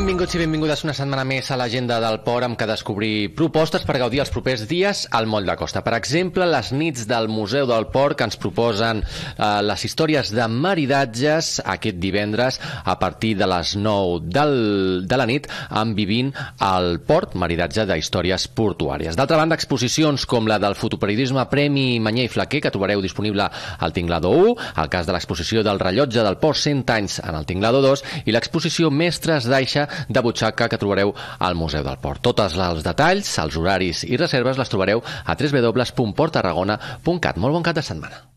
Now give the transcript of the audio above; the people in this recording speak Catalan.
Benvinguts i benvingudes una setmana més a l'agenda del port amb què descobrir propostes per gaudir els propers dies al Moll de Costa. Per exemple, les nits del Museu del Port que ens proposen les històries de maridatges aquest divendres a partir de les 9 de la nit amb Vivint al Port, maridatge de històries portuàries. D'altra banda, exposicions com la del fotoperiodisme Premi Manyer i Flaquer que trobareu disponible al Tinglado 1, el cas de l'exposició del rellotge del Port 100 anys en el Tinglado 2 i l'exposició Mestres d'Aixa de butxaca que trobareu al Museu del Port. Tots els detalls, els horaris i reserves les trobareu a www.porttarragona.cat. Molt bon cap de setmana.